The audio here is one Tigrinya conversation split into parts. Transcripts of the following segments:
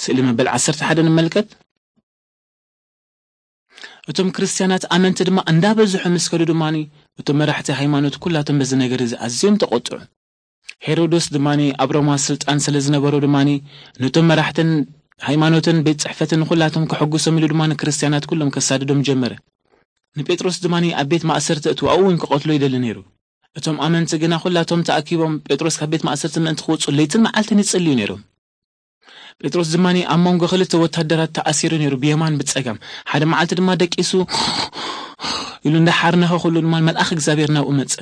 ስእሊ መበል ዓሰርተ ሓደ ንመልከት። እቶም ክርስትያናት ኣመንቲ ድማ እንዳበዝሑ ምስ ከዱ ድማኒ፣ እቶም መራሕቲ ሃይማኖት ኩላቶም በዚ ነገር እዚ ኣዝዮም ተቖጥዑ። ሄሮዶስ ድማኒ ኣብ ሮማ ስልጣን ስለ ዝነበሮ ድማኒ፣ ነቶም መራሕትን ሃይማኖትን ቤት ጽሕፈትን ኩላቶም ከሐጉሶም ኢሉ ድማ ንክርስትያናት ኩሎም ከሳድዶም ጀመረ። ንጴጥሮስ ድማኒ ኣብ ቤት ማእሰርቲ እትዋኡ እውን ክቐትሎ ይደሊ ነይሩ። እቶም ኣመንቲ ግና ኩላቶም ተኣኪቦም ጴጥሮስ ካብ ቤት ማእሰርቲ ምእንቲ ክወጹ ለይትን መዓልትን ይጽልዩ ነይሮም። ጴጥሮስ ድማኒ ኣብ መንጎ ክልተ ወታደራት ተኣሲሩ ነይሩ፣ ብየማን ብጸጋም። ሓደ መዓልቲ ድማ ደቂሱ ኢሉ እንዳሓርነኸ ኩሉ ድማ መልኣኽ እግዚኣብሔር ናብኡ መጸ።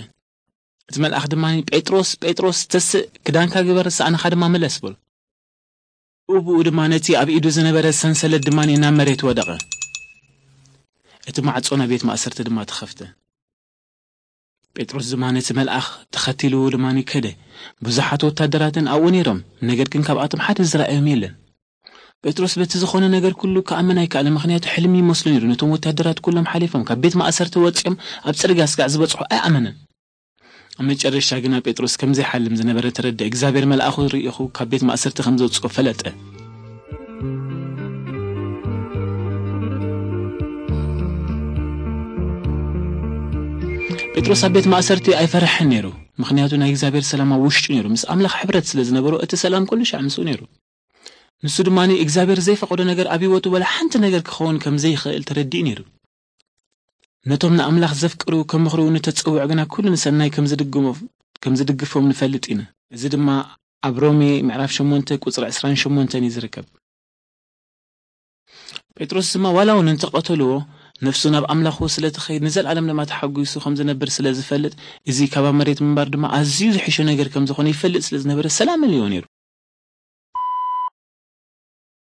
እቲ መልኣኽ ድማ፣ "ጴጥሮስ፣ ጴጥሮስ፣ ተስእ፣ ክዳንካ ግበር፣ ሳእንኻ ድማ ምለስ" በሎ። ብኡ ድማ ነቲ ኣብ ኢዱ ዝነበረ ሰንሰለት ድማ ናብ መሬት ወደቐ። እቲ ማዕጾ ናይ ቤት ማእሰርቲ ድማ ተኸፍተ። ጴጥሮስ ድማ ነቲ መልኣኽ ተኸቲሉ ድማ ከደ። ብዙሓት ወታደራትን ኣብኡ ነይሮም፣ ነገር ግን ካብኣቶም ሓደ ዝረኣዮም የለን። ጴጥሮስ በቲ ዝኾነ ነገር ኩሉ ክኣምን ኣይከኣለን፣ ምኽንያቱ ሕልሚ ይመስሎ ነይሩ። ነቶም ወታደራት ኩሎም ሓሊፎም ካብ ቤት ማእሰርቲ ወጺኦም ኣብ ጽርግያ ስጋዕ ዝበጽሑ ኣይኣመነን። ኣብ መጨረሻ ግና ጴጥሮስ ከም ዘይሓልም ዝነበረ ተረድአ። እግዚኣብሔር መልኣኹ ርኢኹ ካብ ቤት ማእሰርቲ ከም ዘውጽኦ ፈለጠ። ጴጥሮስ ኣብ ቤት ማእሰርቲ ኣይፈርሕን ነይሩ፣ ምኽንያቱ ናይ እግዚኣብሔር ሰላም ኣብ ውሽጡ ነይሩ። ምስ ኣምላኽ ሕብረት ስለ ዝነበሮ እቲ ሰላም ኩሉ ሻዕ ምስኡ ነይሩ። ንሱ ድማ እግዚኣብሔር ዘይፈቐዶ ነገር ኣብ ህይወቱ ወላ ሓንቲ ነገር ክኸውን ከም ዘይኽእል ተረዲኡ ነይሩ። ነቶም ንኣምላኽ ዘፍቅሩ፣ ከምኽሩ ንተጸውዑ ግና ኩሉ ንሰናይ ከም ዝድግሞ-፣ ከም ዝድግፎም ንፈልጥ ኢና። እዚ ድማ ኣብ ሮሜ ምዕራፍ ሸሞንተ ቁጽሪ ዕስራን ሸሞንተን እዩ ዝርከብ። ጴጥሮስ ድማ ዋላ እውን እንተቐተልዎ፣ ነፍሱ ናብ ኣምላኹ ስለ ትኸይድ ንዘለኣለም ድማ ተሓጒሱ ከም ዝነብር ስለ ዝፈልጥ፣ እዚ ካብ ኣብ መሬት ምንባር ድማ ኣዝዩ ዝሕሾ ነገር ከም ዝኾነ ይፈልጥ ስለ ዝነበረ ሰላም መሊእዎ ነይሩ።